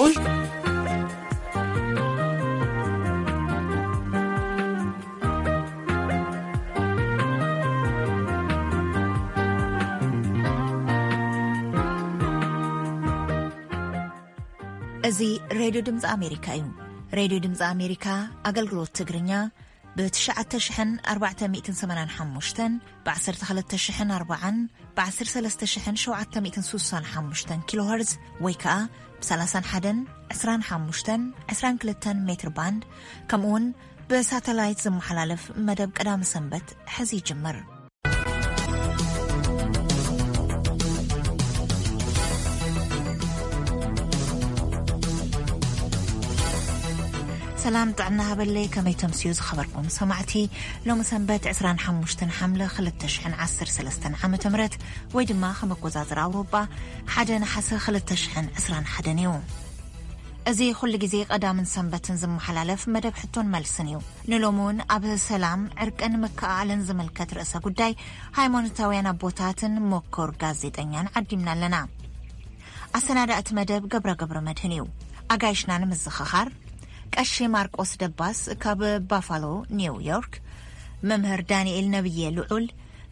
ኡይ! እዚ ሬድዮ ድምፂ ኣሜሪካ እዩ። ሬድዮ ድምፂ ኣሜሪካ ኣገልግሎት ትግርኛ ብ ትሽዓተ ሽሕን ኣርባዕተ ሚእትን ሰማንያን ሓሙሽተን፣ ብ ዓሰርተ ክልተ ሽሕን ኣርባዓን፣ ብ ዓሰርተ ሰለስተ ሽሕን ሸውዓተ ሚእትን ስሳን ሓሙሽተን ኪሎ ሄርዝ ወይ ከኣ ብ ሰላሳን ሓደን፣ ዕስራን ሓሙሽተን፣ ዕስራን ክልተን ሜትር ባንድ፣ ከምኡውን ብሳተላይት ዝመሓላለፍ መደብ ቀዳሚ ሰንበት ሕዚ ይጅምር። ሰላም ጥዕና ሃበለይ፣ ከመይ ተምስዩ ዝኸበርኩም ሰማዕቲ? ሎሚ ሰንበት ዕስራን ሓሙሽተን ሓምለ ክልተ ሽሕን ዓሰርተ ሰለስተን ዓመተ ምህረት ወይ ድማ ከም ኣቆጻጽራ ኣውሮጳ ሓደ ነሓሰ ክልተ ሽሕን ዕስራን ሓደን እዩ። እዚ ኩሉ ግዜ ቀዳምን ሰንበትን ዝመሓላለፍ መደብ ሕቶን መልስን እዩ። ንሎሚ እውን ኣብ ሰላም፣ ዕርቅን ምክእኣልን ዝምልከት ርእሰ ጉዳይ ሃይማኖታውያን ኣቦታትን ምኩር ጋዜጠኛን ዓዲምና ኣለና። ኣሰናዳእቲ መደብ ገብረ ገብረ መድህን እዩ። ኣጋይሽና ንምዝኽኻር፣ ቀሺ ማርቆስ ደባስ ካብ ባፋሎ ኒው ዮርክ፣ መምህር ዳንኤል ነብየ ልዑል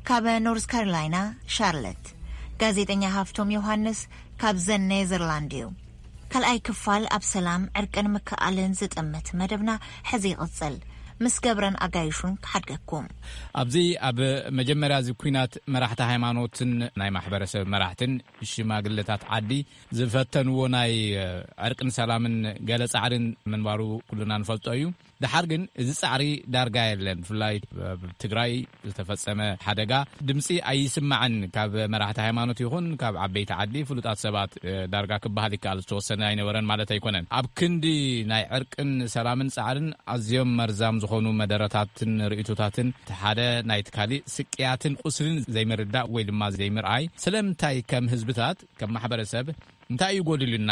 ካብ ኖርዝ ካሮላይና ሻርለት፣ ጋዜጠኛ ሃፍቶም ዮሃንስ ካብ ዘን ኔዘርላንድ እዩ። ካልኣይ ክፋል ኣብ ሰላም፣ ዕርቅን ምክእኣልን ዝጥምት መደብና ሕዚ ይቕጽል። ምስ ገብረን ኣጋይሹን ክሓድገኩም። ኣብዚ ኣብ መጀመርያ እዚ ኲናት መራሕቲ ሃይማኖትን ናይ ማሕበረሰብ መራሕትን ሽማግለታት ዓዲ ዝፈተንዎ ናይ ዕርቅን ሰላምን ገለ ጻዕርን ምንባሩ ኩልና ንፈልጦ እዩ። ደሓር ግን እዚ ጻዕሪ ዳርጋ የለን። ብፍላይ ኣብ ትግራይ ዝተፈጸመ ሓደጋ ድምጺ ኣይስማዕን። ካብ መራሕቲ ሃይማኖት ይኹን ካብ ዓበይቲ ዓዲ ፍሉጣት ሰባት፣ እ፣ ዳርጋ ክበሃል ይከኣል ዝተወሰነ ኣይነበረን ማለት ኣይኮነን። ኣብ ክንዲ ናይ ዕርቅን ሰላምን ጻዕርን ኣዝዮም መርዛም ዝኾኑ መደረታትን ርእይቶታትን እቲ ሓደ ናይቲ ካሊእ ስቅያትን ቁስልን ዘይምርዳእ ወይ ድማ ዘይምርኣይ ስለምንታይ ከም ህዝብታት፣ ከም ማሕበረሰብ እንታይ እዩ ጎዲሉና?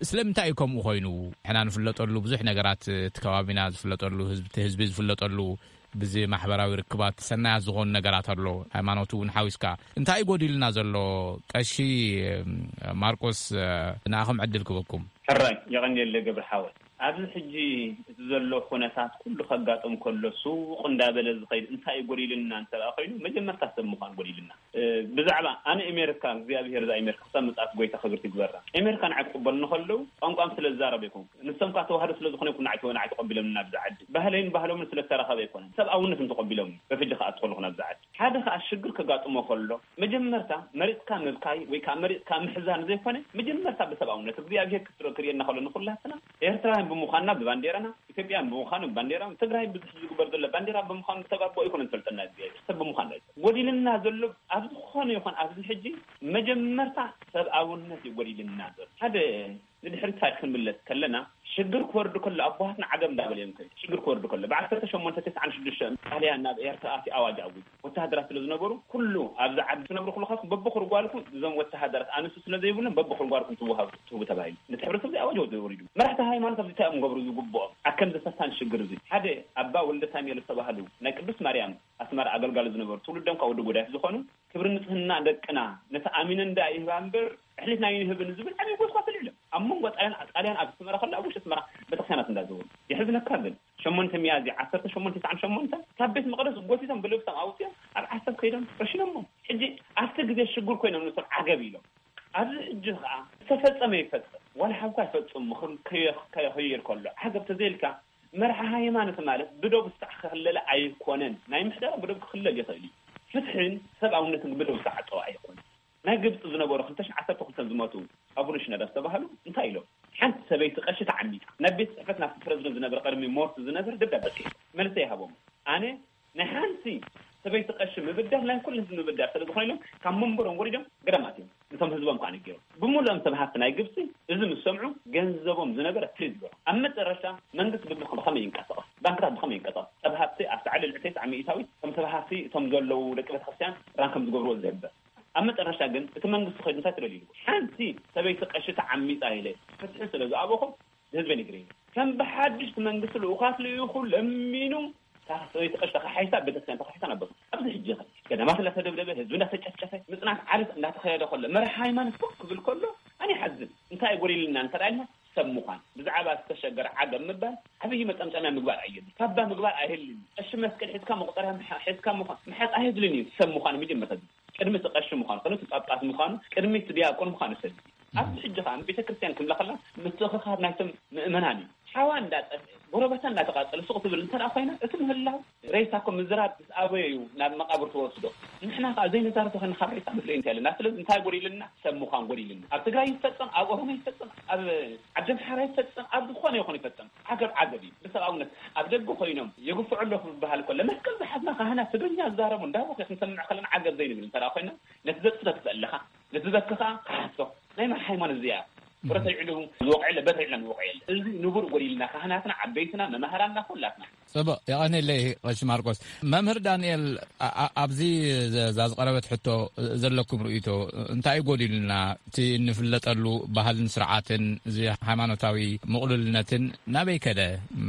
ስለምንታይ እዩ ከምኡ ኮይኑ? ንሕና ንፍለጠሉ ብዙሕ ነገራት፣ እቲ ከባቢና ዝፍለጠሉ፣ ህዝቢ፣ እቲ ህዝቢ ዝፍለጠሉ፣ ብዚ ማሕበራዊ ርክባት ሰናያት ዝኾኑ ነገራት ኣሎ። ሃይማኖት እውን ሓዊስካ። እንታይ እዩ ጎዲሉና ዘሎ? ቀሺ፣ እም፣ ማርቆስ፣ እ፣ ንኣኹም ዕድል ክበኩም። ሕራይ፣ የቐንየለ ገብረ ሓወይ። ኣብዚ ሕጂ እቲ ዘሎ ኩነታት ኩሉ ከጋጥም ከሎ፣ ሱቕ እንዳበለ ዝኸይድ እንታይ እዩ ጎዲሉና እንተ ደኣ ኮይኑ፣ መጀመርታ ሰብ ምዃን ጎዲሉና። እ፣ ብዛዕባ ኣነ ኣሜሪካ፣ እግዚኣብሄር እዛ ኣሜሪካ ክሳብ ምጽኣት ጎይታ ክብርቲ ይግበራ። ኣሜሪካ ንዓይ ክቕበሉኒ ከለዉ፣ ቋንቋም ስለ ዝዛረብ ኣይኮንኩ። ንሶም ከኣ ተዋህዶ ስለ ዝኾነ ይኩን ንዓይ ተወ-፣ ንዓይ ተቐቢሎምኒ ናብዚ ዓዲ። ባህለይን ባህሎምን ስለ እተራኸበ ኣይኮነን። ሰብኣውነት እዮም ተቐቢሎምኒ። በፍጂ ከኣ ትኸልኹ ናብዚ ዓዲ። ሓደ ከኣ ሽግር ከጋጥሞ ከሎ፣ መጀመርታ መሪጽካ ምብካይ ወይ ከኣ መሪጽካ ምሕዛን ዘይኮነ፣ መጀመርታ ብሰብኣውነት እግዚኣብሄር ክትረ-፣ ክርእየና ከሎ ንኹላትና ኤርትራውያን ብምዃንና ብባንዴራና፣ ኢትዮጵያን ብምዃኑ ባንዴራ፣ ትግራይ ብዙሕ ዝግበር ዘሎ ባንዴራ ብምዃኑ ተጋቦ ኣይኮነን ዝፈልጠና እግዚኣብሔር፣ ሰብ ብምዃን እዩ። ጎዲልና ዘሎ ኣብ ዝኾነ ይኹን ኣብዚ ሕጂ መጀመርታ ሰብኣውነት እዩ ጎዲልና ዘሎ። ሓደ ንድሕሪት ታሪክ ክንምለስ ከለና ሽግር ክወርድ ከሎ ኣቦሃትና ዓገብ እንዳበለ እዮም ከይዱ። ሽግር ክወርድ ከሎ ብዓሰርተ ሸሞንተ ተስዓን ሽዱሽተን ጣልያን ናብ ኤርትራ ኣትዩ ኣዋጅ ኣዊጁ። ወተሃደራት ስለ ዝነበሩ ኩሉ ኣብዚ ዓዲ ትነብሩ ከለኹም በብኹርጓልኩም እዞም ወተሃደራት ኣንስቲ ስለ ዘይብሎም በብኹርጓልኩም ትወሃቡ ትህቡ ተባሂሉ። ነቲ ሕብረተሰብ እዚ ኣዋጅ ወሪዱ። መራሕቲ ሃይማኖት ኣብዚ እንታይ እዮም ገብሩ ዝግብኦም? ኣብ ከምዚ ፈታኒ ሽግር እዚ ሓደ ኣባ ወልደ ሳሙኤል ዝተባህሉ ናይ ቅዱስ ማርያም ኣስመራ ኣገልጋሊ ዝነበሩ ትውልዶም ካብ ወዲ ጎዳይፍ ዝኾኑ ክብሪ ንጽህና ደቅና ነቲ ኣሚነን ደኣ ይህባ እምበር ኣሕሊፍና ኣይንህብን ዝብል ዓብዪ ጎስጓስ ኣልዒሎም። ኣብ መንጎ ጣልያን ጣልያን ኣብ ኣስመራ ከሎ ኣብ ውሽጢ ኣስመራ ቤተክርስትያናት እንዳዘወሩ የሕዝነካ ግን ሸሞንተ ሚያዝያ ዓሰርተ ሸሞንተ ተስዓን ሸሞንተን ካብ ቤት መቕደስ ጎቲቶም ብልብሶም ኣውፅኦም ኣብ ዓሰብ ከይዶም ረሽኖሞም። ሕጂ ኣብቲ ግዜ ሽጉር ኮይኖም ንሶም ዓገብ ኢሎም። ኣብዚ ሕጂ ከዓ ዝተፈፀመ ይፈፀም ዋላ ሓውካ ይፈፅም ምኽር ከየ- ከየኸይር ከሎ ዓገብ ተዘይልካ መርሓ ሃይማኖት ማለት ብደቡ ዝሳዕ ክኽለለ ኣይኮነን። ናይ ምሕደራ ብደቡ ክኽለል ይኽእል እዩ። ፍትሕን ሰብኣውነትን ብደቡ ዝዓፀወ ኣይኮነን። ናይ ግብፂ ዝነበሩ ክልተ ሽሕን ዓሰርተ ክልተን ዝሞቱ ኣቡነ ሽኖዳ ዝተባህሉ እንታይ ኢሎም? ሓንቲ ሰበይቲ ቀሺ ተዓሚፃ ናብ ቤት ፅሕፈት ናብቲ ፕረዚደንት ዝነበረ ቀድሚ ሞርት ዝነበረ ደብዳበ ፅሒፎም መልሰ ይሃቦም። ኣነ ናይ ሓንቲ ሰበይቲ ቀሺ ምብዳል ናይ ኩሉ ህዝቢ ምብዳል ስለ ዝኾነ ኢሎም ካብ መንበሮም ወሪዶም ገዳም ኣትዮም ነቶም ህዝቦም ከዓ ነጊሮም። ብምሉኦም ሰብ ሃፍቲ ናይ ግብፂ እዚ ምስ ሰምዑ ገንዘቦም ዝነበረ ፍሪዝ ገይሮም። ኣብ መጨረሻ መንግስቲ ብብኸ- ብኸመይ ይንቀሳቐስ? ባንክታት ብኸመይ ይንቀሳቐስ? ሰብ ሃፍቲ ኣብቲ ዓሊ ልዕሊ ተስዓ ሚእታዊት ከም ሰብ ሃፍቲ እቶም ዘለዉ ደቂ ቤተክርስትያን ራን ከም ዝገብርዎ ዝሕበር ኣብ መጨረሻ ግን እቲ መንግስቲ ኸይዱ እንታይ ተደሊሉ? ሓንቲ ሰበይቲ ቀሺ ተዓሚፃ ኢለ ፍትሒ ስለ ዝኣበኹ ንህዝበይ ነጊረ። ከም ብሓድሽ እቲ መንግስቲ ልኡኻት ልኢኹ ለሚኑ እታ ሰበይቲ ቀሺ ተኻሒሳ ቤተክርስትያን ተኻሒሳ ነበሩ። ኣብዚ ሕጂ ኸ ገዳማት እንዳተደብደበ ህዝቢ እንዳተጨፍጨፈ ምፅናት ዓርስ እንዳተኸየደ ከሎ መራሒ ሃይማኖት ኮፍ ክብል ከሎ ኣነ ይሓዝን። እንታይ ጎዲልና እንተ ደኣ ኢልና ሰብ ምዃን። ብዛዕባ ዝተሸገረ ዓገብ ምባል ዓብዪ መጠምጠምያ ምግባር ኣየድልን። ካባ ምግባር ኣይህልን። ቀሺ መስቀል ሒዝካ መቑፀርያ ምሓ- ሒዝካ ምዃን ምሓዝ ኣይድልን እዩ። ሰብ ምዃን መጀመርታ ቅድሚ እቲ ቀሺ ምዃኑ፣ ቅድሚ እቲ ጳጳስ ምዃኑ፣ ቅድሚ እቲ ዲያቆን ምዃኑ ሰብ ኣብዚ ሕጂ ከዓ ቤተ ክርስቲያን ክብላ ከላ ምትእኽኻብ ናይቶም ምእመናን እዩ። ሓዋ እንዳጠፍአ ጎረባታ እንዳተቃፀለ ሱቕ ትብል እንተ ደኣ ኮይና እቲ ምህላው ሬሳ እኮ ምዝራብ ምስ ኣበዮ እዩ ናብ መቃብር ትወስዶ። ንሕና ከዓ ዘይንዛረብ ተኮይና ካብ ሬሳ ንፍለ እንታይ ኣለና? ስለዚ እንታይ ጎዲልና? ሰብ ምዃን ጎዲልና። ኣብ ትግራይ ይፈፀም፣ ኣብ ኦሮሞ ይፈፀም፣ ኣብ ዓዲ ኣምሓራ ይፈፀም፣ ኣብ ዝኾነ ይኹን ይፈፀም፣ ዓገብ ዓገብ እዩ። ብሰብኣውነት ኣብ ደገ ኮይኖም የግፍዑ ኣለዉ ክበሃል ከሎ መስቀል ዝሓዝና ካህናት ትግርኛ ዝዛረቡ እንዳቦኸ ክንሰምዕ ከለና ዓገብ ዘይንብል እንተ ደኣ ኮይና ነቲ ዘጥፍቶ ትስእለኻ ነቲ ዝበኪ ከዓ ክሓሶ ናይ መን ሃይማኖት እዚኣ? ብረት ኣልዒሉ ዝወቕዕ የለ፣ በት ኣልዒልና ንወቕዕ የለ። እዚ ንቡር ጎዲልና ካህናትና፣ ዓበይትና፣ መማህራንና፣ ኩላትና። ጽቡቕ፣ የቐንየለይ ቀሺ ማርቆስ። መምህር ዳንኤል፣ ኣ- ኣ- ኣብዚ ዘ- እዛ ዝቐረበት ሕቶ ዘለኩም ርእይቶ እንታይ እዩ ጎዲሉና? እቲ እንፍለጠሉ ባህልን ስርዓትን፣ እዚ ሃይማኖታዊ ምቕሉልነትን ናበይ ከደ?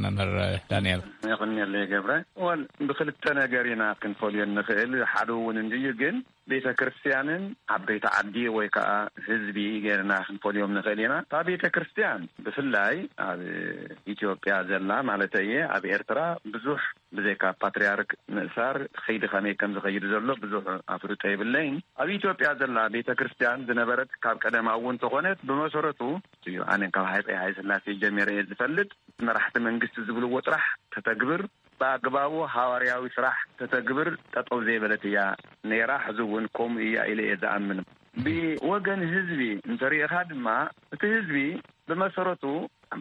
መምህር ዳንኤል። የቐንየለይ ገብረ። ወል ብክልተ ነገር ኢና ክንፈልዮ እንኽእል። ሓደ እውን እንድዩ፣ ግን ቤተ ክርስቲያንን ዓበይቲ ዓዲ ወይ ከዓ ህዝቢ ገይርና ክንፈልዮም ንኽእል ኢና። እታ ቤተ ክርስቲያን ብፍላይ ኣብ ኢትዮጵያ ዘላ ማለት እየ፣ ኣብ ኤርትራ ብዙሕ ብዘይካ ፓትርያርክ ምእሳር ኸይዲ ከመይ ከም ዝኸይድ ዘሎ ብዙሕ ኣፍልጦ የብለይን። ኣብ ኢትዮጵያ ዘላ ቤተ ክርስቲያን ዝነበረት ካብ ቀደማ እውን ተኾነት ብመሰረቱ እዩ። ኣነ ካብ ሃፀይ ሃይለ ስላሴ ጀሚረ እየ ዝፈልጥ። መራሕቲ መንግስቲ ዝብልዎ ጥራሕ ተተግብር፣ ብኣግባቡ ሃዋርያዊ ስራሕ ተተግብር ጠጠው ዘይበለት እያ ነይራ። ሕዚ እውን ከምኡ እያ ኢለ እየ ዝኣምን። ብወገን ህዝቢ እንተሪእኻ ድማ እቲ ህዝቢ ብመሰረቱ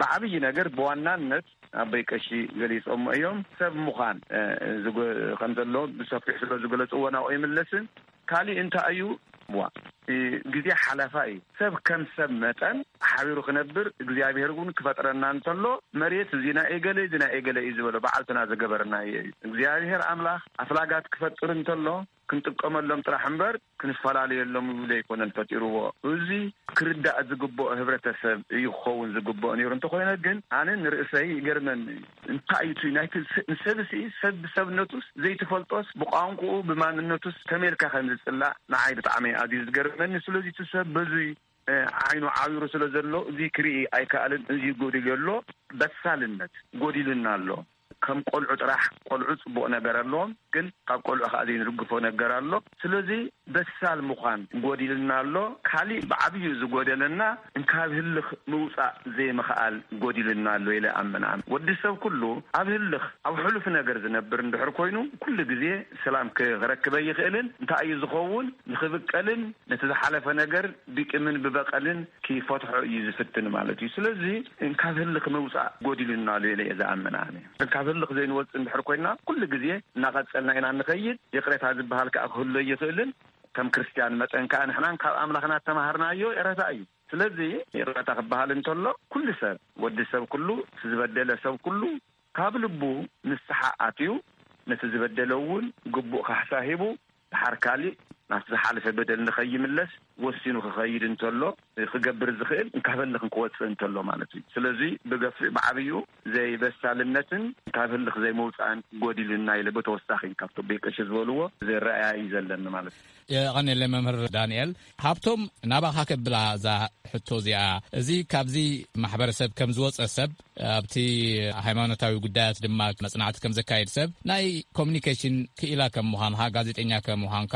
ብዓብዪ ነገር ብዋናነት ኣቦይ ቀሺ ገሊፆሞ እዮም። ሰብ ምዃን እ፣ ዝገ- ከም ዘሎ ብሰፊሑ ስለ ዝገለፅዎ ናብኡ ይምለስን። ካሊእ እንታይ እዩ? ዋ፣ እ፣ ግዜ ሓላፋ እዩ። ሰብ ከም ሰብ መጠን ሓቢሩ ክነብር እግዚኣብሔር እውን ክፈጥረና እንተሎ መሬት እዚ ናይ ኤገለ፣ እዚ ናይ ኤገለ እዩ ዝበሎ በዓልትና ዝገበረና እዩ። እግዚኣብሔር ኣምላኽ ኣፍላጋት ክፈጥር እንተሎ ክንጥቀመሎም ጥራሕ እምበር ክንፈላለየሎም ይብሉ ኣይኮነን ፈጢርዎ። እዚ ክርዳእ ዝግብኦ ህብረተሰብ እዩ ክኸውን ዝግብኦ ነይሩ። እንተኾይነ ግን ኣነ ንርእሰይ ይገርመኒ እዩ። እንታይ እዩ እቲ ናይቲ ስ- ንሰብሲ ሰብ ብሰብነቱስ ዘይትፈልጦስ ብቋንቋኡ ብማንነቱስ ከመይ ኢልካ ከም ዝጽላእ ንዓይ ብጣዕሚ ኣዝዩ ዝገርመኒ። ስለዚ እቲ ሰብ በዙይ እ፣ ዓይኑ ዓዊሩ ስለ ዘሎ እዚ ክርኢ ኣይከኣልን። እዚ ጎዲሉ ኣሎ፣ በሳልነት ጎዲሉና ኣሎ። ከም ቆልዑ ጥራሕ፣ ቆልዑ ጽቡቕ ነገር ኣለዎም፣ ግን ካብ ቆልዑ ከኣ ዘይንድግፎ ነገር ኣሎ። ስለዚ በሳል ምዃን ጎዲልና ኣሎ። ካሊእ ብዓብዩ ዝጎደለና እንካብ ህልኽ ምውጻእ ዘይምኽኣል ጎዲልና ኣሎ ኢለ ኣምን። ኣነ ወዲ ሰብ ኩሉ ኣብ ህልኽ፣ ኣብ ሕሉፍ ነገር ዝነብር እንድሕር ኮይኑ ኩሉ ግዜ ሰላም ክረክብ ኣይኽእልን። እንታይ እዩ ዝኸውን? ንኽብቀልን ነቲ ዝሓለፈ ነገር ብቂምን ብበቐልን ክፈትሖ እዩ ዝፍትን ማለት እዩ። ስለዚ እንካብ ህልኽ ምውጻእ ጎዲሉና ኣሎ ኢለ እየ ዝኣምን ኣነ። እንካብ ህልኽ ዘይንወጽእ እንድሕር ኮይና ኩሉ ግዜ እናቐጸልና ኢና ንኸይድ። ይቕሬታ ዝበሃል ከኣ ክህሉ ኣይኽእልን። ከም ክርስትያን መጠን ከኣ ንሕናን ካብ ኣምላኽና እተማሃርናዮ ይቕሬታ እዩ። ስለዚ ይቕሬታ ክበሃል እንተሎ ኩሉ ሰብ፣ ወዲ ሰብ ኩሉ፣ እቲ ዝበደለ ሰብ ኩሉ ካብ ልቡ ንስሓ ኣትዩ ነቲ ዝበደለ እውን ግቡእ ካሕሳ ሂቡ ድሓር ካሊእ ናብቲ ዝሓለፈ በደል ንኸይምለስ ወሲኑ ክኸይድ እንተሎ፣ ክገብር ዝኽእል እንካብ ህልኽ ክወጽእ እንተሎ ማለት እዩ። ስለዚ ብገፊሕ ብዓብዩ ዘይበሳልነትን እንካብ ህልኽ ዘይምውጻእን ጎዲሉና ኢለ ብተወሳኺ ካብቶም ቤት ቀሺ ዝበልዎ ዝረኣያ እዩ ዘለኒ ማለት እዩ። የቐንየለይ መምህር ዳንኤል። ሃብቶም፣ ናባኻ ከብላ እዛ ሕቶ እዚኣ። እዚ ካብዚ ማሕበረሰብ ከም ዝወጸ ሰብ፣ ኣብቲ ሃይማኖታዊ ጉዳያት ድማ መጽናዕቲ ከም ዘካየድ ሰብ፣ ናይ ኮሚኒኬሽን ክኢላ ከም ምዃንካ፣ ጋዜጠኛ ከም ምዃንካ፣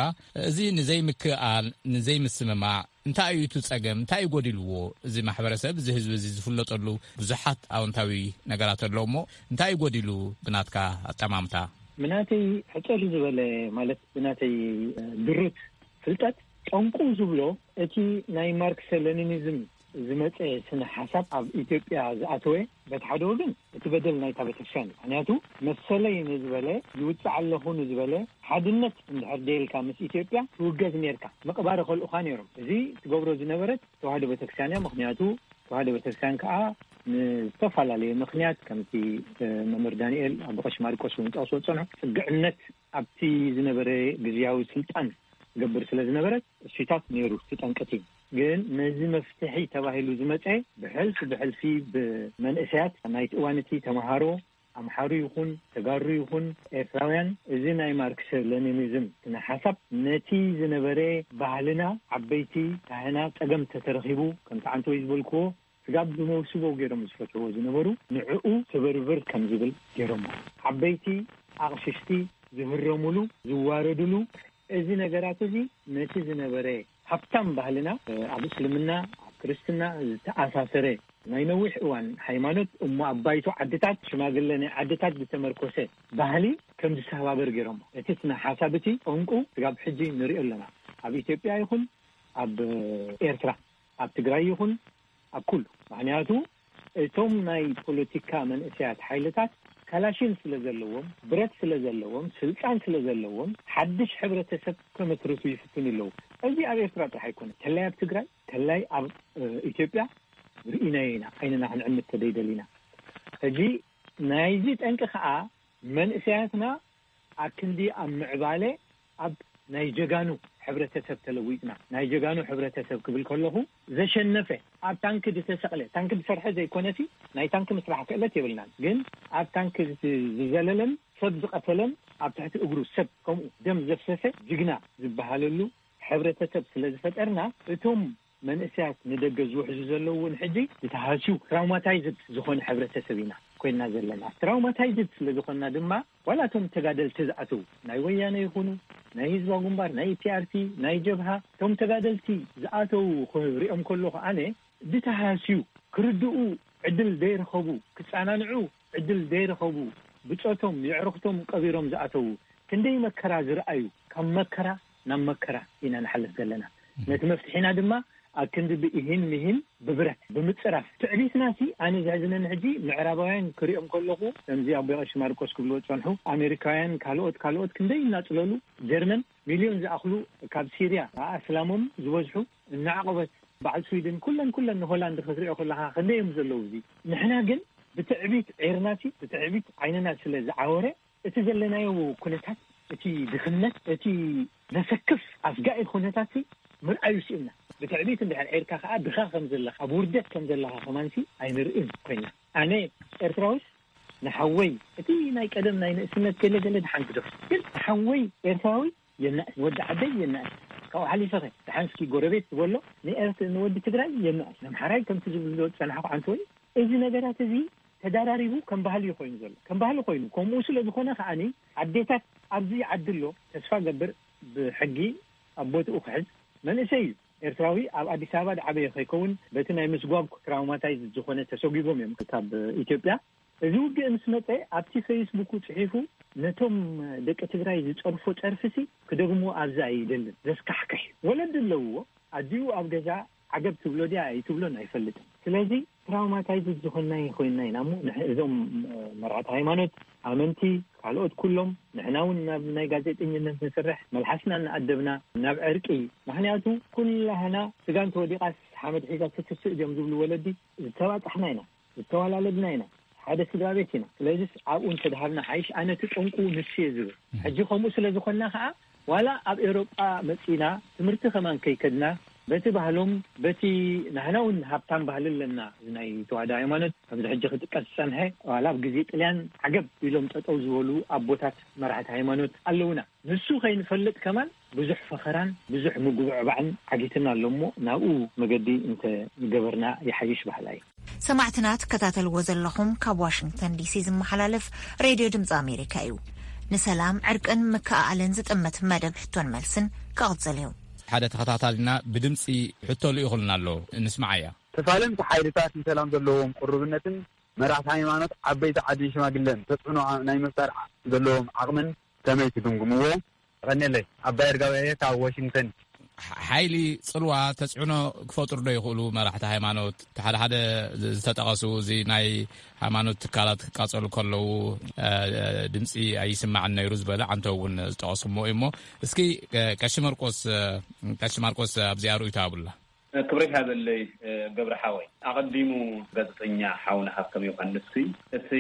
እዚ ንዘይምክእኣል፣ ንዘይምስምማዕ እንታይ እዩ እቲ ጸገም? እንታይ እዩ ጎዲልዎ? እዚ ማሕበረሰብ፣ እዚ ህዝቢ እዚ ዝፍለጠሉ ብዙሓት ኣወንታዊ ነገራት ኣለዎ እሞ፣ እንታይ እዩ ጎዲሉ ብናትካ ኣጠማምታ? ብናተይ ሕጽር ዝበለ፣ ማለት ብናተይ፣ እ፣ ድሩት ፍልጠት፣ ጠንቁ ዝብሎ እቲ ናይ ማርክሰ ሌኒኒዝም ዝመጸ ስነ ሓሳብ ኣብ ኢትዮጵያ ዝኣተወ፣ በቲ ሓደ ወገን እቲ በደል ናይታ ቤተክርስትያን እዩ። ምኽንያቱ መሰለይ ንዝበለ፣ ይውጻዕ ኣለኹ ንዝበለ፣ ሓድነት እንድሕር ደይልካ ምስ ኢትዮጵያ ትውገዝ ኔርካ፣ ምቕባር ይኸልኡኻ ኔሮም። እዚ ትገብሮ ዝነበረት ተዋህዶ ቤተክርስትያን እያ። ምኽንያቱ ተዋህዶ ቤተክርስትያን ከኣ ንዝተፈላለየ ምኽንያት፣ ከምቲ፣ እ፣ መምህር ዳንኤል ኣቦ ቀሺ ማርቆስ እውን ጠቕስዎ ዝጸንሑ፣ ጽግዕነት ኣብቲ ዝነበረ ግዝያዊ ስልጣን ትገብር ስለ ዝነበረት፣ እሱታት ነይሩ፣ እቲ ጠንቂ እቲ። ግን ነዚ መፍትሒ ተባሂሉ ዝመጸ ብሕልፊ ብሕልፊ ብመንእሰያት ናይቲ እዋን እቲ ተምሃሮ፣ ኣምሓሩ ይኹን ተጋሩ ይኹን ኤርትራውያን፣ እዚ ናይ ማርክስ ሌኒኒዝም ስነ ሓሳብ ነቲ ዝነበረ ባህልና፣ ዓበይቲ ካህናት፣ ጸገም ተተረኺቡ፣ ከምቲ ዓንተወይ ዝበልክዎ፣ ስጋብ ብመውስቦ ገይሮም ዝፈትዎ ዝነበሩ ንዕኡ ስብርብር ከም ዝብል ገይሮሞ። ዓበይቲ ኣቕሽሽቲ ዝህረሙሉ፣ ዝዋረዱሉ፣ እዚ ነገራት እዚ ነቲ ዝነበረ ሃብታም ባህልና፣ ኣብ እስልምና፣ ኣብ ክርስትና ዝተኣሳሰረ ናይ ነዊሕ እዋን ሃይማኖት እሞ ኣብ ባይቶ ዓድታት ሽማግለ ናይ ዓድታት ዝተመርኮሰ ባህሊ ከም ዝሰባበር ገይሮሞ። እቲ ስነ ሓሳብ እቲ ጠንቁ ስጋብ ሕጂ ንሪኦ ኣለና። ኣብ ኢትዮጵያ ይኹን ኣብ ኤርትራ፣ ኣብ ትግራይ ይኹን ኣብ ኩሉ። ምኽንያቱ እቶም ናይ ፖለቲካ መንእሰያት ሓይልታት ካላሽን ስለ ዘለዎም፣ ብረት ስለ ዘለዎም፣ ስልጣን ስለ ዘለዎም ሓድሽ ሕብረተሰብ ከመስርቱ ይፍትኑ ኣለዉ። እዚ ኣብ ኤርትራ ጥራሕ ኣይኮነ፣ ተላይ ኣብ ትግራይ፣ ተላይ ኣብ ኢትዮጵያ ርኢናዮ ኢና፣ ዓይንና ክንዕምት ተደይደሊና። ሕጂ ናይዚ ጠንቂ ከዓ መንእሰያትና ኣክንዲ ኣብ ምዕባለ ኣብ ናይ ጀጋኑ ሕብረተሰብ ተለዊጥና። ናይ ጀጋኑ ሕብረተሰብ ክብል ከለኹ ዘሸነፈ፣ ኣብ ታንክ ዝተሰቕለ፣ ታንክ ዝሰርሐ ዘይኮነሲ ናይ ታንክ ምስራሕ ክእለት የብልናን፣ ግን ኣብ ታንክ ዝዘለለን ሰብ ዝቐተለን ኣብ ትሕቲ እግሩ ሰብ ከምኡ ደም ዘፍሰሰ ጅግና ዝበሃለሉ ሕብረተሰብ ስለ ዝፈጠርና እቶም መንእሰያት ንደገ ዝውሕዙ ዘለዉ እውን ሕጂ ዝተሃስዩ ትራውማታይዝድ ዝኾነ ሕብረተሰብ ኢና ኮይና ዘለና። ትራውማታይዝድ ስለ ዝኾንና ድማ ዋላ እቶም ተጋደልቲ ዝኣተዉ ናይ ወያነ ይኹኑ ናይ ህዝባዊ ግንባር ናይ ፒኣርቲ ናይ ጀብሃ እቶም ተጋደልቲ ዝኣተዉ ክሪኦም ከለኹ ኣነ ዝተሃስዩ ክርድኡ ዕድል ዘይረኸቡ ክጸናንዑ ዕድል ዘይረኸቡ ብጾቶም የዕርኽቶም ቀቢሮም ዝኣተዉ ክንደይ መከራ ዝረኣዩ ካብ መከራ ናብ መከራ ኢና ንሓልፍ ዘለና። ነቲ መፍትሒና ድማ ኣብ ክንዲ ብኢሂን ምሂን ብብረት ብምጽራፍ ትዕቢትና ሲ ኣነ ዘሕዝነኒ ሕጂ ምዕራባውያን ክሪኦም ከለኹ ከምዚ ኣቦ ቀሺ ማርቆስ ክብልዎ ዝጸንሑ ኣሜሪካውያን ካልኦት ካልኦት ክንደይ እናጽለሉ ጀርመን ሚልዮን ዝኣኽሉ ካብ ሲርያ ኣስላሞም ዝበዝሑ እናዓቆበት በዓል ስዊድን ኩለን ኩለን ንሆላንድ ክትሪኦ ከለኻ ክንደይ እዮም ዘለዉ እዚ ንሕና ግን ብትዕቢት ዒርና ሲ ብትዕቢት ዓይንና ስለ ዝዓወረ እቲ ዘለናዮ ኩነታት እቲ ድኽነት እቲ ዘሰክፍ ኣስጋኢ ኩነታት ምርኣዩ ስኢንና ብትዕቢት እንድሕር ዒርካ ከዓ ድኻ ከም ዘለኻ ኣብ ውርደት ከም ዘለኻ ከማንሲ ኣይንርእን ኮይና ኣነ ኤርትራዊስ ንሓወይ እቲ ናይ ቀደም ናይ ንእስነት ገለ ገለ ድሓን ግደፉ ግን ንሓወይ ኤርትራዊ የናእስ ንወዲ ዓደይ የናእስ ካብኡ ሓሊፈኸ ድሓንስኪ ጎረቤት ዝበሎ ንኤርት ንወዲ ትግራይ የናእስ ነምሓራይ ከምቲ ዝብልዎ ዝፀናሕኩ ዓንተወይ እዚ ነገራት እዚ ተዳራሪቡ ከም ባህሊ ኮይኑ ዘሎ ከም ባህሊ ኮይኑ ከምኡ ስለ ዝኾነ ከዓኒ ኣዴታት ኣብዚ ዓዲ ኣሎ ተስፋ ገብር ብሕጊ ኣብ ቦትኡ ክሕዝ መንእሰይ እዩ ኤርትራዊ ኣብ ኣዲስ ኣበባ ዝዓበየ ከይከውን በቲ ናይ ምስጓግ ትራውማታይዝ ዝኾነ ተሰጒጎም እዮም ካብ ኢትዮጵያ እዚ ውግእ ምስ መፀ ኣብቲ ፌስቡኩ ፅሒፉ ነቶም ደቂ ትግራይ ዝፀርፎ ፀርፊሲ ክደግምዎ ኣብዚ ኣይደልን ዘስካሕክሕ ወለዲ ኣለውዎ ኣዲኡ ኣብ ገዛ ዓገብ ትብሎ ድያ ኣይትብሎን ኣይፈልጥን ስለዚ ትራውማታይዝድ ዝኾንና ኮይንና ኢና እሞ እዞም መርዓት ሃይማኖት ኣመንቲ ካልኦት ኩሎም ንሕና እውን ናብ ናይ ጋዜጠኝነት ንስርሕ መልሓስና እናኣደብና ናብ ዕርቂ ምክንያቱ ኩላህና ስጋን ተወዲቓስ ሓመድ ሒዛ ትትስእ ድዮም ዝብሉ ወለዲ ዝተባፃሕና ኢና ዝተዋላለድና ኢና ሓደ ስድራ ቤት ኢና ስለዚስ ኣብኡ እንተድሃብና ሓይሽ ኣነቲ ጠንቁ ንሱ እየ ዝብል ሕጂ ከምኡ ስለ ዝኾንና ከዓ ዋላ ኣብ ኤውሮጳ መፂና ትምህርቲ ከማን ከይከድና በቲ ባህሎም በቲ ናህና እውን ሃብታም ባህሊ ኣለና ናይ ተዋህዶ ሃይማኖት ከምዚ ሕጂ ክጥቀስ ዝፀንሐ ዋላ ኣብ ግዜ ጥልያን ዓገብ ኢሎም ጠጠው ዝበሉ ኣቦታት መራሕቲ ሃይማኖት ኣለውና ንሱ ከይንፈልጥ ከማን ብዙሕ ፈኸራን ብዙሕ ምጉብዕባዕን ዓጊትና ኣሎ እሞ ናብኡ መገዲ እንተ ገበርና ይሓይሽ በሃላይ። ሰማዕትና ትከታተልዎ ዘለኹም ካብ ዋሽንግተን ዲሲ ዝመሓላለፍ ሬድዮ ድምፂ ኣሜሪካ እዩ። ንሰላም ዕርቅን ምክእኣልን ዝጥምት መደብ ሕቶን መልስን ክቕፅል እዩ። ሓደ ተኸታታልና ብድምፂ ሕቶ ልኢኹልና ኣሎ፣ እንስምዓያ። ተፋለምቲ ሓይልታት ንሰላም ዘለዎም ቅሩብነትን መራሕቲ ሃይማኖት ዓበይቲ ዓድን ሽማግለን ተፅዕኖ ናይ ምፍጣር ዘለዎም ዓቕምን ከመይ ትግምግምዎ? የቐንየለይ። ኣባይ ኣርጋው እየ ካብ ዋሽንግተን። ሓይሊ ፅልዋ ተፅዕኖ ክፈጥሩ ዶ ይኽእሉ መራሕቲ ሃይማኖት? ሓደ ሓደ ዝተጠቐሱ እዚ ናይ ሃይማኖት ትካላት ክቃፀሉ ከለዉ ድምፂ ኣይስማዕን ነይሩ ዝበለ ዓንተ እውን ዝጠቐሱ እሞ እዩ እሞ እስኪ ቀሺ መርቆስ ቀሺ ማርቆስ ኣብዚኣ ርእይቶ ኣብላ። ክብሪ ሃበለይ ገብረ ሓወይ። ኣቐዲሙ ጋዜጠኛ ሓውና ሃብቶም ዮሃንስ እቲ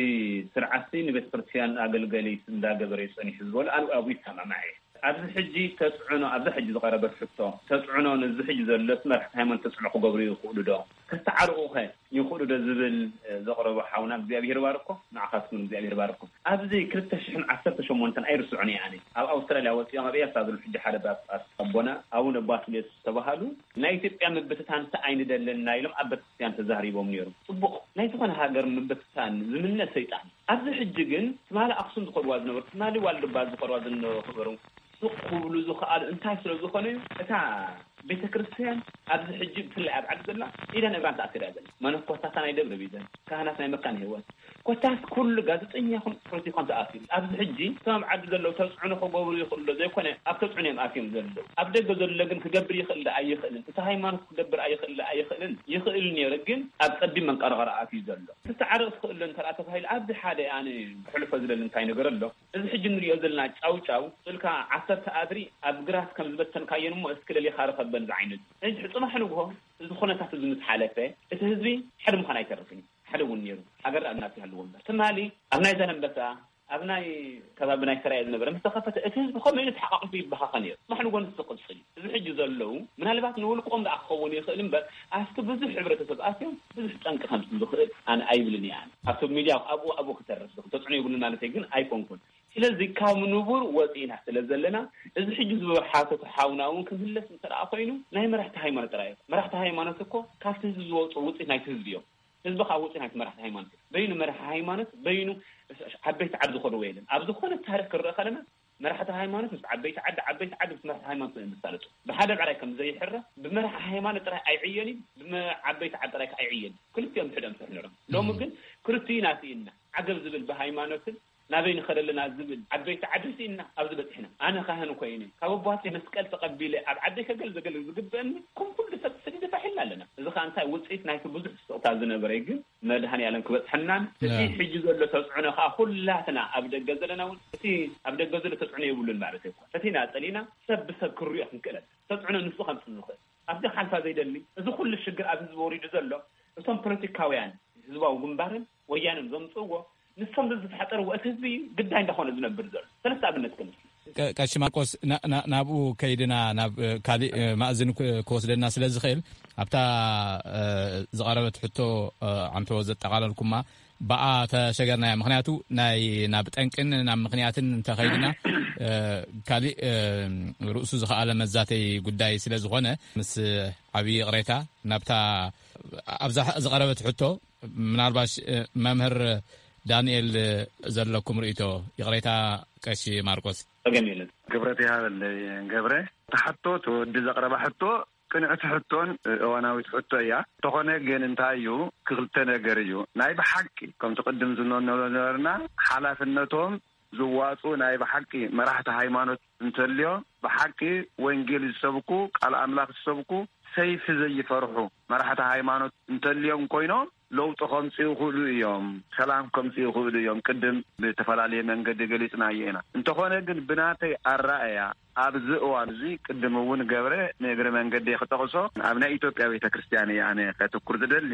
ስርዓት ንቤተ ክርስቲያን ኣገልገሊት እንዳገበረ እዩ ጸኒሑ ዝበሎ ኣነ ኣብኡ ይሰማማዕ እየ። ኣብዚ ሕጂ ተፅዕኖ፣ ኣብዚ ሕጂ ዝቐረበት ሕቶ፣ ተፅዕኖ ነዚ ሕጂ ዘሎ መራሕቲ ሃይማኖት ተፅዕኖ ክገብሩ ይኽእሉ ዶ? ከተዓርቑኸ ይኽእሉ ዶ ዝብል፣ እ፣ ዘቕረቦ ሓውና፣ እግዚኣብሔር ባርኮ፣ ንዓኻትኩም እግዚኣብሔር ባርኮ። ኣብዚ ክልተ ሽሕን ዓሰርተ ሸሞንተን ኣይርስዑን እየ ኣነ። ኣብ ኣውስትራልያ ወፂኦም ኣብ ኤርትራ ዘለዉ ሕጂ ሓደ ጳጳስ ኣቦና ኣቡነ ባስልዮስ ዝተባሃሉ ናይ ኢትዮጵያ ምብትታን እንታይ ኣይንደልን ኢና ኢሎም ኣብ ቤተክርስትያን ተዛሪቦም ነይሮም። ጽቡቕ፣ ናይ ዝኾነ ሃገር ምብትታን ዝምነ ሰይጣን። ኣብዚ ሕጂ ግን ትማሊ ኣኽሱም ዝኸድዋ ዝነበሩ፣ ትማሊ ዋልድባ ዝኸድዋ ዝነበሩ፣ ስቕ ክብሉ ዝኸኣሉ እንታይ ስለ ዝኾነ እዩ? እታ ቤተ ክርስቲያን ኣብዚ ሕጂ ብፍላይ ኣብ ዓዲ ዘላ ኢዳን እግራን ተኣሲራ እያ ዘላ። መነኮሳታ ናይ ደብረ ቢዘን፣ ካህናት ናይ መካነ ህይወት፣ ኮታስ ኩሉ ጋዜጠኛ ይኹን ፖለቲካን ተኣሲሩ። ኣብዚ ሕጂ እቶም ኣብ ዓዲ ዘለዉ ተጽዕኖ ክገብሩ ይኽእሉ ዶ ዘይኮነ፣ ኣብ ተጽዕኖ እዮም ኣትዮም ዘለዉ። ኣብ ደገ ዘሎ ግን ክገብር ይኽእል ዶ ኣይኽእልን፣ እቲ ሃይማኖት ክገብር ኣይኽእል ዶ ኣይኽእልን፣ ይኽእል ነይሩ ግን ኣብ ጸቢብ መንቀርቐር ኣትዩ ዘሎ። ክተዓርቕ ትኽእል ዶ እንተ ደኣ ተባሂሉ፣ ኣብዚ ሓደ ኣነ ክሕልፎ ዝደሊ እንታይ ነገር ኣሎ? እዚ ሕጂ ንሪኦ ዘለና ጫውጫው፣ ስልካ ዓሰርተ ኣድሪ ኣብ ግራት ከም ዝበተንካየን እሞ እስኪ ለሊኻ ርኸበን ዝዓይነቱ። ሕጂ ጽባሕ ንግሆ እዚ ኩነታት እዚ ምስ ሓለፈ፣ እቲ ህዝቢ ሓደ ምዃን ኣይተርፍን እዩ። ሓደ እውን ነይሩ። ሃገር ደኣ እናት ይሃልዎ እምበር። ትማሊ ኣብ ናይ ዛላንበሳ፣ ኣብ ናይ ከባቢ ናይ ሰራየ ዝነበረ ምስ ተኸፈተ፣ እቲ ህዝቢ ከመይ ኢሉ ተሓቋቒፉ ይበኻኸ ነይሩ። ጽባሕ ንግሆ ንሱ ክቕጽል እዩ። እዚ ሕጂ ዘለዉ፣ ምናልባት ንውልቆም ደኣ ክኸውን ይኽእል እምበር፣ ኣብቲ ብዙሕ ሕብረተሰብ ኣትዮም ብዙሕ ጠንቂ ከምጽእ ዝኽእል ኣነ ኣይብልን እየ። ኣነ ኣብቲ ሚድያ ኣብኡ ኣብኡ ክተርፍ፣ ተጽዕኖ የብሉን ማለተይ ግን ኣይኮንኩን። ስለዚ ካብ ንቡር ወፂእና ስለ ዘለና፣ እዚ ሕጂ ዝበሃል ሓተቱ ሓውና እውን ክምለስ እንተ ደኣ ኮይኑ፣ ናይ መራሕቲ ሃይማኖት ጥራይ እዩ። መራሕቲ ሃይማኖት እኮ ካብቲ ህዝቢ ዝወፁ ውፅኢት ናይቲ ህዝቢ እዮም። ህዝቢ ካብ ውፅኢት ናይቲ መራሕቲ ሃይማኖት እዩ። በይኑ መራሒ ሃይማኖት፣ በይኑ ዓበይቲ ዓዲ ዝኸድዎ የለን። ኣብ ዝኾነ ታሪኽ ክንርኢ ከለና፣ መራሕቲ ሃይማኖት ምስ ዓበይቲ ዓዲ፣ ዓበይቲ ዓዲ ምስ መራሕቲ ሃይማኖት እዮም ዝሳለጡ። ብሓደ ብዕራይ ከም ዘይሕረ፣ ብመራሒ ሃይማኖት ጥራይ ኣይዕየን እዩ፣ ብመ-፣ ዓበይቲ ዓዲ ጥራይ ከዓ ኣይዕየን እዩ። ክልቲኦም ብሕደም ስርሑ ነይሮም። ሎሚ ግን ክልቲኡ ኢና ስኢንና። ዓገብ ዝብል ብሃይማኖትን ናበይ ንኸደ ኣለና ዝብል ዓበይቲ ዓዲ ስኢንና ኣብዚ በፂሕና። ኣነ ካህን ኮይነ ካብ ኣቦሃተይ መስቀል ተቐቢለ ኣብ ዓደይ ከገልግል ዝግበአኒ ከም ኩሉ ሰብ ተሰዲደ ፋሕ ኢልና ኣለና። እዚ ኸኣ እንታይ ውፅኢት ናይቲ ብዙሕ ስቕታ ዝነበረ እዩ። ግን መድሃኔ ዓለም ክበፅሐናን እቲ ሕጂ ዘሎ ተፅዕኖ ኸኣ ኩላትና ኣብ ደገ ዘለና እውን እቲ ኣብ ደገ ዘሎ ተፅዕኖ የብሉን ማለት ኣይኮነን። እቲ ኢና ፀሊእና ሰብ ብሰብ ክንሪኦ ክንክእለን ተፅዕኖ ንሱ ከምፅእ ዝኽእል ኣብዚ ሓልፋ ዘይደሊ እዚ ኩሉ ሽግር ኣብ ህዝቢ ወሪዱ ዘሎ እቶም ፖለቲካውያን ህዝባዊ ግንባርን ወያነን ዘምፅእዎ ንሶም ዝተፈጠርዎ እቲ ህዝቢ ግዳይ እንዳኾነ ዝነብር ዘሎ ሰለስተ ኣብነት ክምስል። ቀ-፣ ቀሺ ማርቆስ፣ ና-፣ ና-፣ ናብኡ ከይድና ናብ፣ እ፣ ካሊእ፣ እ፣ ማእዝን ክ-፣ ክወስደና ስለ ዝኽእል፣ ኣብታ፣ እ፣ ዝቐረበት ሕቶ፣ እ፣ ዓንተዎ ዘጠቓለልኩማ፣ ብኣ ተሸገርናያ። ምኽንያቱ ናይ ናብ ጠንቅን ናብ ምኽንያትን እንተኸይድና፣ እ፣ ካሊእ፣ እ፣ ርእሱ ዝኸኣለ መዛተይ ጉዳይ ስለ ዝኾነ፣ ምስ ዓብዪ ይቕሬታ ናብታ ኣብዛ ዝቐረበት ሕቶ፣ ምናልባሽ፣ እ፣ መምህር ዳንኤል ዘለኩም ርእይቶ? ይቕሬታ ቀሺ ማርቆስ። ጸገም የለን። ክብረት ይሃበለይ ገብረ። ተሓቶ፣ እቲ ወዲ ዘቕረባ ሕቶ ቅንዕቲ ሕቶን እዋናዊት ሕቶ እያ። እንተኾነ ግን እንታይ እዩ፣ ክልተ ነገር እዩ። ናይ ብሓቂ ከምቲ ቅድም ዝብሎ ነበርና፣ ሓላፍነቶም ዝዋፁ ናይ ብሓቂ መራሕቲ ሃይማኖት እንተልዮ፣ ብሓቂ ወንጌል ዝሰብኩ፣ ቃል ኣምላኽ ዝሰብኩ፣ ሰይፊ ዘይፈርሑ መራሕቲ ሃይማኖት እንተልዮም ኮይኖም፣ ለውጢ ከምፅኡ ይኽእሉ እዮም፣ ሰላም ከምፅኡ ይኽእሉ እዮም። ቅድም ብተፈላለየ መንገዲ ገሊፅናዮ ኢና። እንተኾነ ግን ብናተይ ኣረኣእያ ኣብዚ እዋን እዚ ቅድም እውን ገብረ ንእግሪ መንገዲ ክጠቕሶ ኣብ ናይ ኢትዮጵያ ቤተ ክርስቲያን እየ ኣነ ከትኩር ዝደሊ።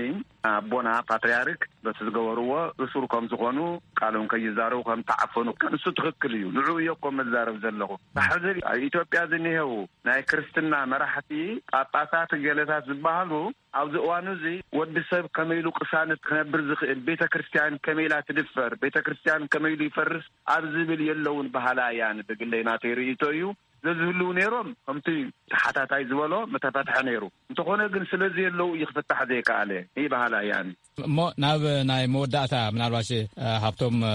ኣቦና ፓትርያርክ በቲ ዝገበርዎ እሱር ከም ዝኾኑ ቃሎም ከይዛረቡ ከም ተዓፈኑ እሱ ትኽክል እዩ። ንዕኡ እየ እኮ መዛረብ ዘለኹ። ሕዚ ኣብ ኢትዮጵያ ዝኒሄው ናይ ክርስትና መራሕቲ ጳጳሳት ገለታት ዝበሃሉ ኣብዚ እዋን እዚ ወዲ ሰብ ከመይ ኢሉ ቅሳነት ክነብር ዝኽእል፣ ቤተ ክርስቲያን ከመይ ኢላ ትድፈር፣ ቤተ ክርስቲያን ከመይ ኢሉ ይፈርስ ኣብ ዝብል የለውን በሃላ እያን ብግለይ ናተይ ርእይቶ እዩ። ዘዝህልው ነይሮም ከምቲ ተሓታታይ ዝበሎ ምተፈትሐ ነይሩ። እንተኾነ ግን ስለዚ የለው እዩ ክፍታሕ ዘይከኣለ ይበሃላ እያን። እሞ ናብ ናይ መወዳእታ ምናልባሽ፣ እ፣ ሃብቶም፣ እ፣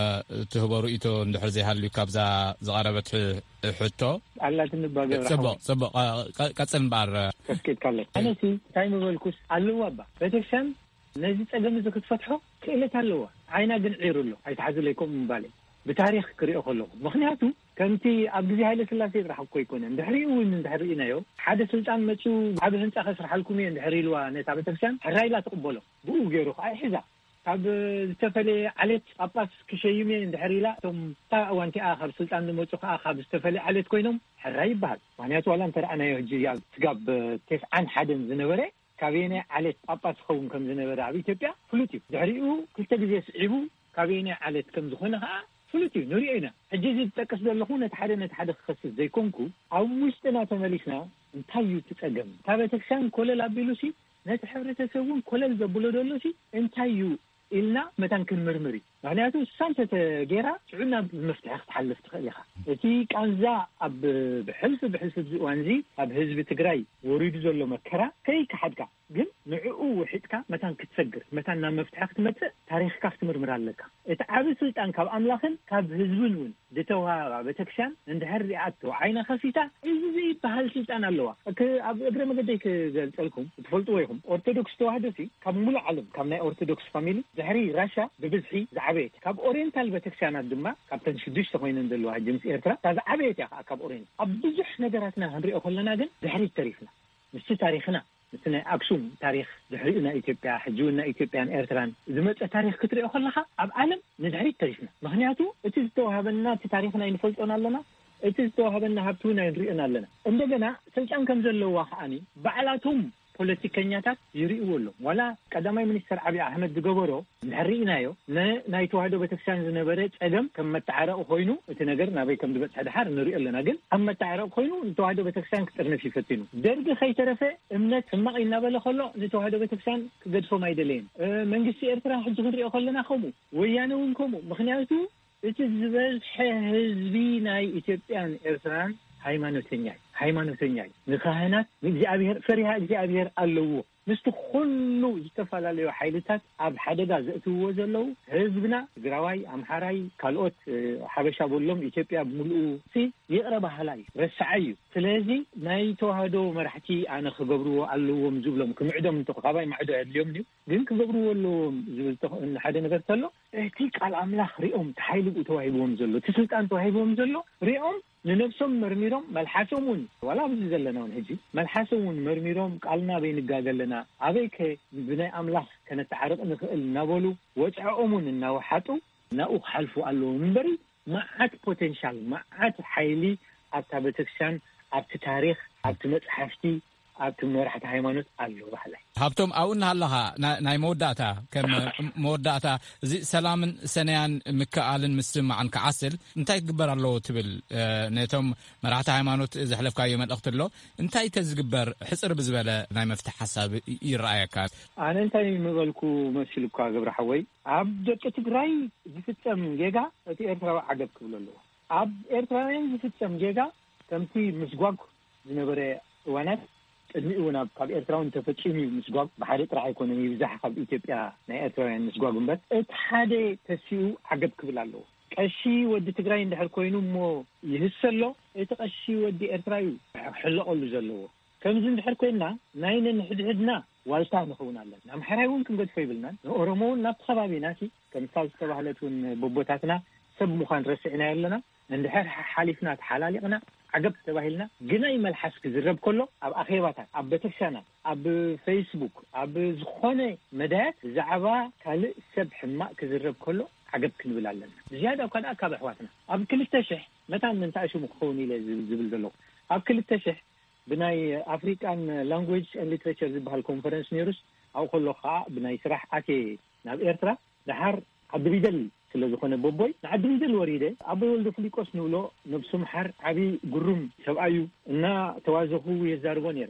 ትህቦ ርእይቶ እንድሕር ዘይሃልዩ ካብዛ ዝቐረበት ሕ-፣ ሕቶ። ኣላትኒ እባ ገብረ ጽቡቕ፣ ሓወይ። ጽቡቕ። ቐ-፣ ቐ-፣ ቀጽል እምበኣር። ከስኬድካለይ። ኣነሲ እንታይ ምበልኩስ ኣለዋ እባ። ቤተክርስትያን ነዚ ጸገም እዚ ክትፈትሖ ክእለት ኣለዋ። ዓይና ግን ዒሩ ኣሎ። ኣይትሓዝለይ ከምኡ ምባለይ። ብታሪኽ ክሪኦ ከለኹ። ምኽንያቱ ከምቲ ኣብ ግዜ ሃይለ ስላሴ ጥራሕ እኮ ኣይኮነን። ድሕሪኡ እውን እንድሕር ርኢናዮ፣ ሓደ ስልጣን መጺኡ ዓቢ ህንጻ ከስርሓልኩም እየ እንድሕር ኢልዋ ነታ ቤተክርስትያን፣ ሕራይ ኢላ ትቕበሎ። ብኡ ገይሩ ከኣ ይሕዛ። ካብ ዝተፈለየ ዓሌት ጳጳስ ክሸይም እየ እንድሕር ኢላ፣ እቶም እታ እዋን እቲኣ ካብ ስልጣን ዝመጹ ከኣ ካብ ዝተፈለየ ዓሌት ኮይኖም ሕራይ ይበሃል። ምኽንያቱ ዋላ እንተ ረኣናዮ ሕጂ ኣብ ስጋብ ተስዓን ሓደን ዝነበረ ካበየናይ ዓሌት ጳጳስ ዝኸውን ከም ዝነበረ ኣብ ኢትዮጵያ ፍሉጥ እዩ። ድሕሪኡ ክልተ ግዜ ስዒቡ ካበየናይ ዓሌት ከም ዝኾነ ከኣ ፍሉጥ እዩ፣ ንሪኦ ኢና። ሕጂ እዚ ዝጠቅስ ዘለኹ ነቲ ሓደ ነቲ ሓደ ክኸስስ ዘይኮንኩ፣ ኣብ ውሽጥና ተመሊስና እንታይ እዩ እቲ ጸገም? እታ ቤተክርስትያን ኮለል ኣቢሉሲ ነቲ ሕብረተሰብ እውን ኮለል ዘብሎ ዘሎሲ እንታይ እዩ ኢልና መታን ክንምርምር እዩ። ምክንያቱ እሳ እንተተጌራ ሽዑ ናብ መፍትሒ ክትሓልፍ ትኽእል ኢኻ። እቲ ቃንዛ ኣብ ብሕልፊ ብሕልፊ ኣብዚ እዋን እዚ ኣብ ህዝቢ ትግራይ ወሪዱ ዘሎ መከራ ከይከሓድካ ግን ንዕኡ ውሒጥካ መታን ክትሰግር፣ መታን ናብ መፍትሒ ክትመጽእ ታሪኽካ ክትምርምር ኣለካ። እቲ ዓቢ ስልጣን ካብ ኣምላኽን ካብ ህዝብን እውን ዝተዋህባ ቤተክርስትያን እንድሕር ሪኣቶ ዓይና ከፊታ፣ እዚ ዘይበሃል ስልጣን ኣለዋ። እክ-፣ ኣብ እግረ መገደይ ክገልጸልኩም፣ ትፈልጥዎ ኢኹም፣ ኦርቶዶክስ ተዋህዶ ሲ ካብ ሙሉእ ዓለም፣ ካብ ናይ ኦርቶዶክስ ፋሚሊ ድሕሪ ራሻ ብብዝሒ ዝዓበየት፣ ካብ ኦሪየንታል ቤተክርስትያናት ድማ ካብተን ሽዱሽተ ኮይነን ዘለዋ ሕጂ ምስ ኤርትራ እታ ዝዓበየት እያ። ከዓ ካብ ኦሪየንት ኣብ ብዙሕ ነገራትና ክንሪኦ ከለና ግን ድሕሪት ተሪፍና። ምስቲ ታሪኽና፣ ምስቲ ናይ ኣክሱም ታሪኽ፣ ድሕሪኡ ናይ ኢትዮጵያ፣ ሕጂ እውን ናይ ኢትዮጵያን ኤርትራን ዝመጸ ታሪኽ ክትሪኦ ከለኻ፣ ኣብ ዓለም ንድሕሪት ተሪፍና። ምኽንያቱ እቲ ዝተዋህበና፣ እቲ ታሪኽና ኣይንፈልጦን ኣለና፣ እቲ ዝተዋህበና ሃብቲ እውን ኣይንሪኦን ኣለና። እንደገና ስልጣን ከም ዘለዋ ከዓኒ ባዕላቶም ፖለቲከኛታት ይርእይዎ ኣለዉ። ዋላ ቀዳማይ ሚኒስተር ዓብዪ ኣሕመድ ዝገበሮ እንድሕር ርኢናዮ፣ ን-፣ ናይ ተዋህዶ ቤተክርስትያን ዝነበረ ጸገም ከም መተዓረቂ ኮይኑ፣ እቲ ነገር ናበይ ከም ዝበጽሐ ድሓር ንሪኦ ኣለና። ግን ከም መተዓረቂ ኮይኑ ንተዋህዶ ቤተክርስትያን ክጥርንፍ እዩ ፈቲኑ። ደርጊ ከይተረፈ እምነት ሕማቕ እዩ እናበለ ከሎ ንተዋህዶ ቤተክርስትያን ክገድፎም ኣይደለየን። እ፣ መንግስቲ ኤርትራ ሕጂ ክንሪኦ ከለና ከምኡ፣ ወያነ እውን ከምኡ። ምኽንያቱ እቲ ዝበዝሐ ህዝቢ ናይ ኢትዮጵያን ኤርትራን ሃይማኖተኛ እዩ። ሃይማኖተኛ እዩ። ንካህናት፣ ንእግዚኣብሔር፣ ፈሪሃ እግዚኣብሔር ኣለዎ። ምስቲ ኩሉ ዝተፈላለዩ ሓይልታት ኣብ ሓደጋ ዘእትውዎ ዘለዉ ህዝብና፣ ትግራዋይ፣ ኣምሓራይ፣ ካልኦት፣ እ፣ ሓበሻ በሎም፣ ኢትዮጵያ ብምልኡ ሲ ይቕረ በሃላይ እዩ፣ ረሳዓይ እዩ። ስለዚ ናይ ተዋህዶ መራሕቲ ኣነ ክገብርዎ ኣለዎም ዝብሎም፣ ክምዕዶም እንተ ካባይ ማዕዶ ኣየድልዮም ድዩ? ግን ክገብርዎ ኣለዎም ዝብል ተኽ-፣ ሓደ ነገር ተሎ፣ እቲ ቃል ኣምላኽ ሪኦም፣ እቲ ሓይሊ ብኡ ተዋሂብዎም ዘሎ፣ እቲ ስልጣን ተዋሂብዎም ዘሎ ሪኦም፣ ንነብሶም መርሚሮም፣ መልሓሶም እውን፣ ዋላ ኣብዚ ዘለና እውን ሕጂ፣ መልሓሶም እውን መርሚሮም፣ ቃልና ኣበይ ንጋገ ኣለና፣ ኣበይ ከ ብናይ ኣምላኽ ከነተዓርቕ ንኽእል እናበሉ፣ ወፅዐኦም እውን እናወሓጡ፣ ናብኡ ክሓልፉ ኣለዎም እምበሪ፣ መዓት ፖቴንሻል፣ መዓት ሓይሊ ኣብታ ቤተክርስትያን፣ ኣብቲ ታሪኽ፣ ኣብቲ መፅሓፍቲ፣ ኣብቲ መራሕቲ ሃይማኖት ኣሎ በሃላይ። ሃብቶም፣ ኣብኡ እናሃለኻ ና-፣ ናይ መወዳእታ፣ ከም መወዳእታ፣ እዚ ሰላምን ሰነያን ምክእኣልን ምስምማዕን ክዓስል እንታይ ክግበር ኣለዎ ትብል? እ፣ ነቶም መራሕቲ ሃይማኖት ዘሕለፍካዮ መልእኽቲ ኣሎ። እንታይ ተዝግበር ሕጽር ብዝበለ ናይ መፍትሒ ሓሳብ ይ-፣ ይረኣየካ? ኣነ እንታይ ምበልኩ መሲሉካ ገብረ ሓወይ፣ ኣብ ደቂ ትግራይ ዝፍጸም ጌጋ እቲ ኤርትራዊ ዓገብ ክብሎ ኣለዎ። ኣብ ኤርትራውያን ዝፍጸም ጌጋ ከምቲ ምስጓግ ዝነበረ እዋናት፣ ቅድሚኡ እውን ኣብ፣ ካብ ኤርትራ እውን ተፈጺሙ እዩ ምስጓግ። ብሓደ ጥራሕ ኣይኮነን፣ ይብዛሕ ካብ ኢትዮጵያ ናይ ኤርትራውያን ምስጓግ እምበር፣ እቲ ሓደ ተሲኡ ዓገብ ክብል ኣለዎ። ቀሺ ወዲ ትግራይ እንድሕር ኮይኑ እሞ ይህሰሎ፣ እቲ ቀሺ ወዲ ኤርትራ እዩ ክሕለቐሉ ዘለዎ። ከምዚ እንድሕር ኮይንና ናይ ነንሕድሕድና ዋልታ ንኸውን ኣለና። ኣምሓራይ እውን ክንገድፎ ይብልናን፣ ንኦሮሞ እውን ናብቲ ከባቢና ሲ ከምሳ ዝተባህለት እውን ቦቦታትና ሰብ ምዃን ረሲዕናዮ ኣለና። እንድሕር ሓሓሊፍና ተሓላሊቕና ዓገብ ተባሂልና ግናይ መልሓስ ክዝረብ ከሎ ኣብ ኣኼባታት፣ ኣብ ቤተክርስትያናት፣ ኣብ ፌስቡክ፣ ኣብ ዝኾነ መዳያት ብዛዕባ ካልእ ሰብ ሕማቕ ክዝረብ ከሎ ዓገብ ክንብል ኣለና። ብዝያዳ እኳ ደኣ ካብ ኣሕዋትና ኣብ ክልተ ሽሕ መታን እንታእ ሽሙ ክኸውን ኢለ ዝብል፣ ዝብል ዘለኹ ኣብ ክልተ ሽሕ ብናይ ኣፍሪቃን ላንጉጅ ኤንድ ሊትሬቸር ዝበሃል ኮንፈረንስ ነይሩስ ኣብኡ ከሎ ከዓ ብናይ ስራሕ ኣትየ ናብ ኤርትራ። ደሓር ዓዲ ቢደል ስለ ዝኾነ ቦቦይ ንዓዲ ቢደል ወሪደ ኣቦይ ወልደ ፍሊቆስ ንብሎ ነብሱ ምሓር ዓቢ ግሩም ሰብኣይ እዩ። እና ተዋዘኹ የዛርቦ ነይረ።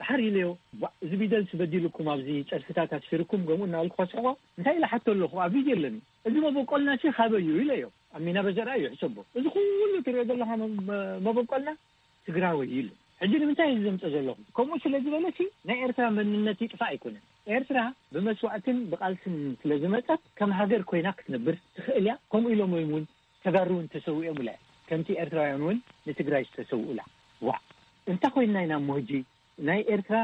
ደሓር ኢለዮ፣ "ቧዕ፣ እዚ ቢደልሲ በዲሉኩም ኣብዚ ጸድፍታት ኣስፊርኩም?" ገምኡ እናበልኩ ከስሕቆ እንታይ ኢለ ሓቶ ኣለኹ፣ ኣብ ቪድዮ ኣለኒ። "እዚ መበቆልና ሲ ካበይ እዩ?" ኢለዮ። ኣብ ሚና በዘርኣ እዩ ሕሰቦ። "እዚ ኩሉ ትሪኦ ዘለኻ መ-፣ መ-፣ መበቆልና ትግራወይ" ኢሉ። ሕጂ ንምንታይ እዩ ዘምፀ ዘለኹ? ከምኡ ስለ ዝበለ ሲ ናይ ኤርትራ መንነት ይጥፋእ ኣይኮነን። ኤርትራ ብመስዋእትን ብቃልስን ስለ ዝመፀት ከም ሃገር ኮይና ክትነብር ትኽእል እያ። ከምኡ ኢሎም እዮም እውን ተጋሩ እውን ተሰዊኦምላ እዮም። ከምቲ ኤርትራውያን እውን ንትግራይ ዝተሰውኡላ። ዋዕ! እንታይ ኮይንና ኢና እሞ ሕጂ ናይ ኤርትራ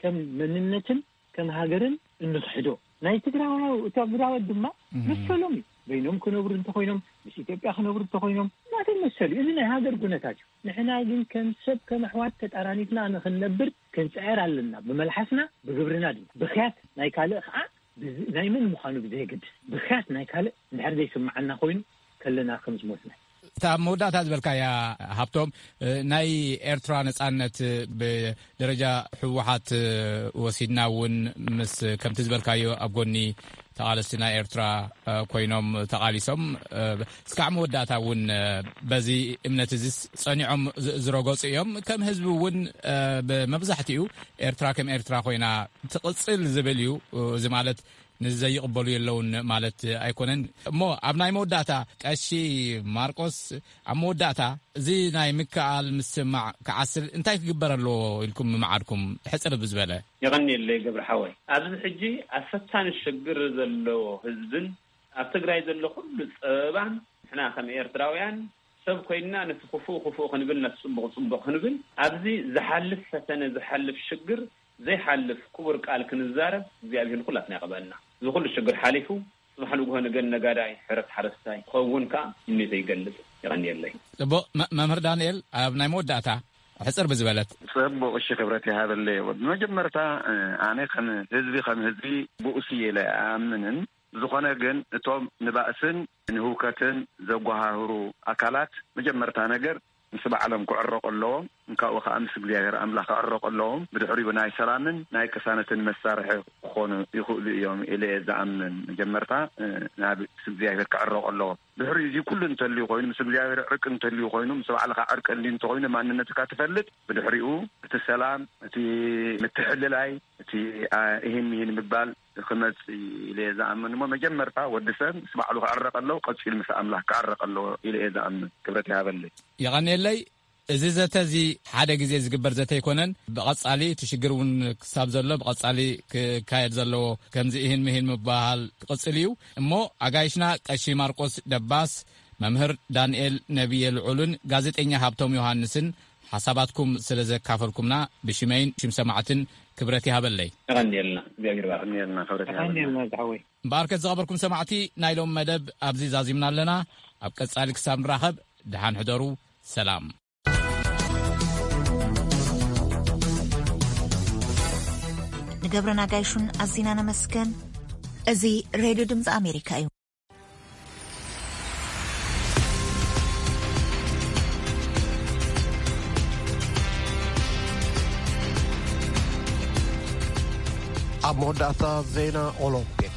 ከም መንነትን ከም ሃገርን እንኽሕዶ? ናይ ትግራዋይ፣ ትግራዋይ ድማ እህ። መሰሎም እዩ። በይኖም ክነብሩ እንተኾይኖም፣ ምስ ኢትዮጵያ ክነብሩ እንተኾይኖም፣ ናተይ መሰል እዩ። እዚ ናይ ሃገር ኩነታት እዩ። ንሕና ግን ከም ሰብ፣ ከም ኣሕዋት ተጣራኒፍና ንኽንነብር ክንጽዕር ኣለና። ብመልሓስና፣ ብግብርና ድማ። ብኽያት ናይ ካልእ ኸዓ፣ ብዝ-፣ ናይ መን ምዃኑ ብዘየገድስ፣ ብኽያት ናይ ካልእ እንድሕር ዘይስምዓና ኮይኑ፣ ከለና ከም ዝሞትና። እታ ኣብ መወዳእታ ዝበልካያ፣ ሃብቶም፣ እ፣ ናይ ኤርትራ ነጻነት፣ እ፣ ብደረጃ ህወሓት፣ እ፣ ወሲድና እውን ምስ፣ ከምቲ ዝበልካዮ፣ ኣብ ጎኒ ተቓለስቲ ናይ ኤርትራ፣ እ፣ ኮይኖም ተቓሊሶም፣ እ፣ እስካዕ መወዳእታ እውን፣ እ፣ በዚ እምነት እዚስ ጸኒዖም ዝ-፣ ዝረገጹ እዮም። ከም ህዝቢ እውን፣ እ፣ ብመብዛሕትኡ ኤርትራ ከም ኤርትራ ኮይና ትቕጽል ዝብል እዩ። እዚ ማለት ንዘይቕበሉ የለውን ማለት ኣይኮነን። እሞ ኣብ ናይ መወዳእታ፣ ቀሺ ማርቆስ፣ ኣብ መወዳእታ፣ እዚ ናይ ምክኣል ምስማዕ ክዓስል እንታይ ክግበር ኣለዎ ኢልኩም ምምዓድኩም? ሕጽር ብዝበለ። የቐንየለይ ገብረ ሓወይ። ኣብዚ ሕጂ ኣፈታኒ ሽግር ዘለዎ ህዝብን ኣብ ትግራይ ዘሎ ኩሉ ጸበባን፣ ንሕና ከም ኤርትራውያን ሰብ ኮይንና ነቲ ክፉእ ክፉእ ክንብል፣ ነቲ ጽቡቕ ጽቡቕ ክንብል፣ ኣብዚ ዝሓልፍ ፈተነ፣ ዝሓልፍ ሽግር ዘይሓልፍ ክቡር ቃል ክንዛረብ እግዚኣብሔር ንኩላትና ይቐበልና። እዚ ኩሉ ሽግር ሓሊፉ፣ ጽባሕ ንግሆ ንገን ነጋዳይ፣ ሕረስ ሓረስታይ ክኸውን ከኣ ምኒተይ ይገልጽ። የቐንየለይ። ጽቡቕ። መ-፣ መምህር ዳንኤል፣ ኣብ ናይ መወዳእታ፣ ሕጽር ብዝበለት። ጽቡቕ፣ እሺ፣ ክብረት ይሃበለይ። ብመጀመርታ፣ እ፣ ኣነ ከም ህዝቢ፣ ከም ህዝቢ ብኡስ እየ ኢለ ኣኣምንን። ዝኾነ ግን፣ እቶም ንባእስን ንህውከትን ዘጓሃህሩ ኣካላት፣ መጀመርታ ነገር ምስ ባዕሎም ክዕረቑ ኣለዎም። እንካኡ ከኣ ምስ እግዚኣብሔር ኣምላኽ ክዕረቑ ኣለዎም። ብድሕሪኡ ናይ ሰላምን ናይ ቅሳነትን መሳርሒ ክኾኑ ይኽእሉ እዮም ኢለ እየ ዝኣምን። መጀመርታ፣ እ፣ ናብ ምስ እግዚኣብሔር ክዕረቑ ኣለዎም። ድሕሪኡ እዚ ኩሉ እንተልዩ ኮይኑ፣ ምስ እግዚኣብሔር ዕርቂ እንተልዩ ኮይኑ፣ ምስ ባዕልኻ ዕርቂ እንዲ እንተኾይኑ፣ ማንነትካ ትፈልጥ፣ ብድሕሪኡ እቲ ሰላም፣ እቲ ምትሕልላይ፣ እቲ፣ አ፣ እሂን ምሂን ምባል ክመጽእ ኢለ እየ ዝኣምን። እሞ መጀመርታ ወዲ ሰብ ምስ ባዕሉ ክዕረቕ ኣለዎ፣ ቀጺሉ ምስ ኣምላኽ ክዕረቕ ኣለዎ ኢለ እየ ዝኣምን። ክብረት ይሃበለይ። የቐንየለይ። እዚ ዘተ እዚ ሓደ ግዜ ዝግበር ዘተ ኣይኮነን። ብቐጻሊ እቲ ሽግር እውን ክሳብ ዘሎ ብቐጻሊ ክካየድ ዘለዎ፣ ከምዚ እሂን ምሂን ምበሃል ክቕጽል እዩ። እሞ ኣጋይሽና ቀሺ ማርቆስ ደባስ፣ መምህር ዳንኤል ነብየ ልዑልን ጋዜጠኛ ሃብቶም ዮሃንስን ሓሳባትኩም ስለ ዘካፈልኩምና ብሽመይን ሽም ሰማዕትን ክብረት ይሃበለይ። የቐንየልና፣ እግዚኣብሔር ይባርክ። የቐንየልና፣ ክብረት ይሃበልና። የቐንየልና ዝሓወይ። እምበኣርከ ዝኸበርኩም ሰማዕቲ፣ ናይ ሎም መደብ ኣብዚ ዛዚምና ኣለና። ኣብ ቀጻሊ ክሳብ ንራኸብ፣ ደሓን ሕደሩ። ሰላም። ንገብረ ናጋይሹን ኣዚና ነመስገን። እዚ ሬድዮ ድምፂ ኣሜሪካ እዩ። ኣብ መወዳእታ ዜና ኦሎምፒክ፣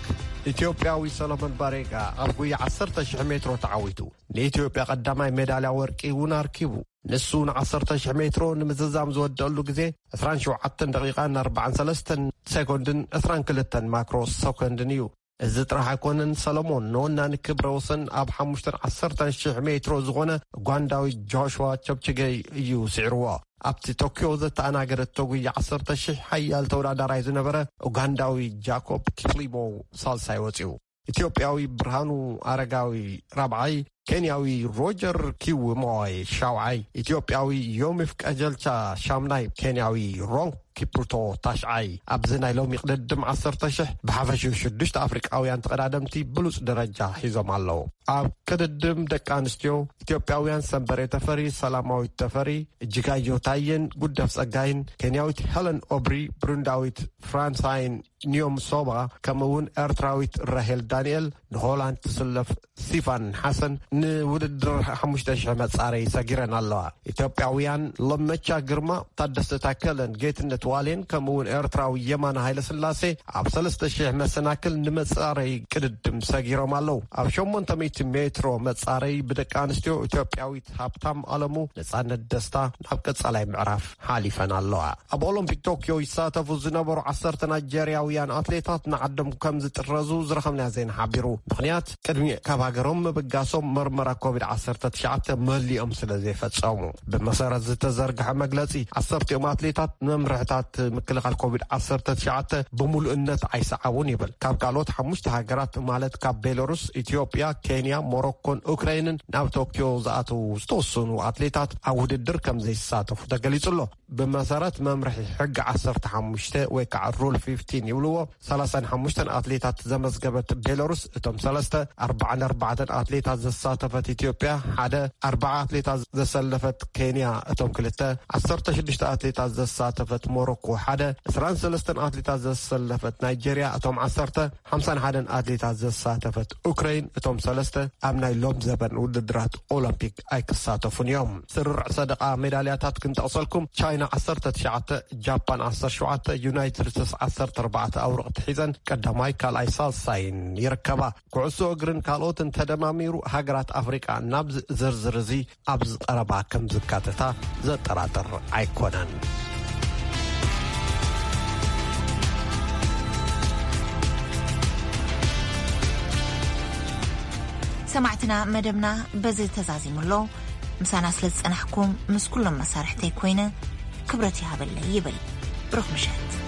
ኢትዮጵያዊ ሰሎሞን ባሬጋ ኣብ ጉያ ዓሰርተ ሺሕ ሜትሮ ተዓዊቱ ንኢትዮጵያ ቀዳማይ ሜዳልያ ወርቂ እውን ኣርኪቡ። ንሱ ን ዓሰርተ ሺሕ ሜትሮ ንምዝዛም ዝወደአሉ ግዜ ዕስራን ሸውዓተን ደቂቓን ኣርባዓን ሰለስተን ሴኮንድን ዕስራን ክልተን ማክሮ ሰኮንድን እዩ። እዚ ጥራሕ ኣይኮነን፣ ሰለሞን ንወናኒ ክብረ ወሰን ኣብ ሓሙሽተን ዓሰርተን ሺሕ ሜትሮ ዝኾነ ኡጋንዳዊ ጆሽዋ ቸፕችገይ እዩ ስዒርዎ። ኣብቲ ቶክዮ ዘተኣናገደቶ ጉያ ዓሰርተ ሺሕ ሓያል ተወዳዳራይ ዝነበረ ኡጋንዳዊ ጃኮብ ኪፕሊሞ ሳልሳይ ወፂኡ። ኢትዮጵያዊ ብርሃኑ ኣረጋዊ ራብዓይ፣ ኬንያዊ ሮጀር ኪውሞይ ሻውዓይ፣ ኢትዮጵያዊ ዮሚፍ ቀጀልቻ ሻምናይ፣ ኬንያዊ ሮንግ ኪፕሩቶ ታሽዓይ። ኣብዚ ናይ ሎሚ ቅድድም ዓሰርተ ሺሕ ብሓፈሽኡ ሽዱሽተ ኣፍሪቃውያን ተቐዳደምቲ ብሉጽ ደረጃ ሒዞም ኣለዉ። ኣብ ቅድድም ደቂ ኣንስትዮ፣ ኢትዮጵያውያን ሰንበሬ ተፈሪ፣ ሰላማዊት ተፈሪ፣ እጅጋየሁ ታየን ጉደፍ ጸጋይን፣ ኬንያዊት ሄለን ኦብሪ፣ ብሩንዳዊት ፍራንሳይን ኒዮም ሶባ፣ ከምኡ እውን ኤርትራዊት ራሄል ዳንኤል፣ ንሆላንድ ትስለፍ ሲፋን ሓሰን ንውድድር ሓሙሽተ ሺሕ መጻረዪ ሰጊረን ኣለዋ። ኢትዮጵያውያን ለመቻ ግርማ፣ ታደሰ ታከለን ጌትነት ዋሌን፣ ከምኡ እውን ኤርትራዊ የማነ ሃይለስላሴ ኣብ ሰለስተ ሺሕ መሰናክል ንመጻረዪ ቅድድም ሰጊሮም ኣለዉ። ኣብ ሸሞንተ ሚእቲ ሜትሮ መጻረዪ ብደቂ ኣንስትዮ፣ ኢትዮጵያዊት ሃብታም ኣለሙ፣ ነጻነት ደስታ ናብ ቀጻላይ ምዕራፍ ሓሊፈን ኣለዋ። ኣብ ኦሎምፒክ ቶክዮ ይሳተፉ ዝነበሩ ዓሰርተ ናይጀርያውያን ኣትሌታት ንዓዶም ከም ዝጥረዙ ዝረኸብናዮ ዜና ሓቢሩ። ምኽንያት፣ ቅድሚ ካብ ሃገሮም ምብጋሶም መርመራ ኮቪድ ዓሰርተ ትሽዓተ መሊኦም ስለ ዘይፈጸሙ። ብመሰረት ዝተዘርግሐ መግለጺ፣ ዓሰርቲኦም ኣትሌታት መምርሕታት ምክልኻል ኮቪድ ዓሰርተ ትሽዓተ ብምሉእነት ኣይሰዓቡን ይብል። ካብ ካልኦት ሓሙሽተ ሃገራት፣ ማለት ካብ ቤላሩስ፣ ኢትዮጵያ፣ ኬንያ፣ ሞሮኮን ኡክራይንን ናብ ቶክዮ ዝኣተዉ ዝተወሰኑ ኣትሌታት ኣብ ውድድር ከም ዘይሳተፉ ተገሊጹ ኣሎ። ብመሰረት መምርሒ ሕጊ ዓሰርተ ሓሙሽተ ወይ ከዓ ሩል ፊፍቲን ይብልዎ፣ ሰላሳን ሓሙሽተን ኣትሌታት ዘመዝገበት ቤላሩስ፣ እቶም ሰለስተ ኣርባዓን ኣርባዕተን ኣትሌታት ዘሳ ዘሳተፈት ኢትዮጵያ ሓደ፣ ኣርባዓ ኣትሌታት ዘሰለፈት ኬንያ እቶም ክልተ፣ ዓሰርተ ሽዱሽተ ኣትሌታት ዘሳተፈት ሞሮኮ ሓደ፣ ዕስራን ሰለስተን ኣትሌታት ዘሰለፈት ናይጄርያ እቶም ዓሰርተ፣ ሓምሳን ሓደን ኣትሌታት ዘሳተፈት ኡክረይን እቶም ሰለስተ ኣብ ናይ ሎም ዘበን ውድድራት ኦሎምፒክ ኣይክሳተፉን እዮም። ስርርዕ ሰደቓ ሜዳልያታት ክንጠቕሰልኩም፣ ቻይና ዓሰርተ ትሽዓተ፣ ጃፓን ዓሰርተ ሸውዓተ፣ ዩናይትድ ስቴትስ ዓሰርተ ኣርባዕተ ኣውርቕቲ ሒዘን ቀዳማይ፣ ካልኣይ፣ ሳልሳይን ይርከባ። ኩዕሶ እግርን ካልኦትን ተደማሚሩ ሃገራት ኣፍሪቃ ናብ ዝርዝር እዚ ኣብዚ ቀረባ ከም ዝካተታ ዘጠራጥር ኣይኮነን። ሰማዕትና፣ መደብና በዚ ተዛዚሙ ኣሎ። ምሳና ስለ ዝጸናሕኩም ምስ ኩሎም መሳርሕተይ ኮይነ ክብረት ይሃበለይ ይብል። ብሩኽ ምሸት።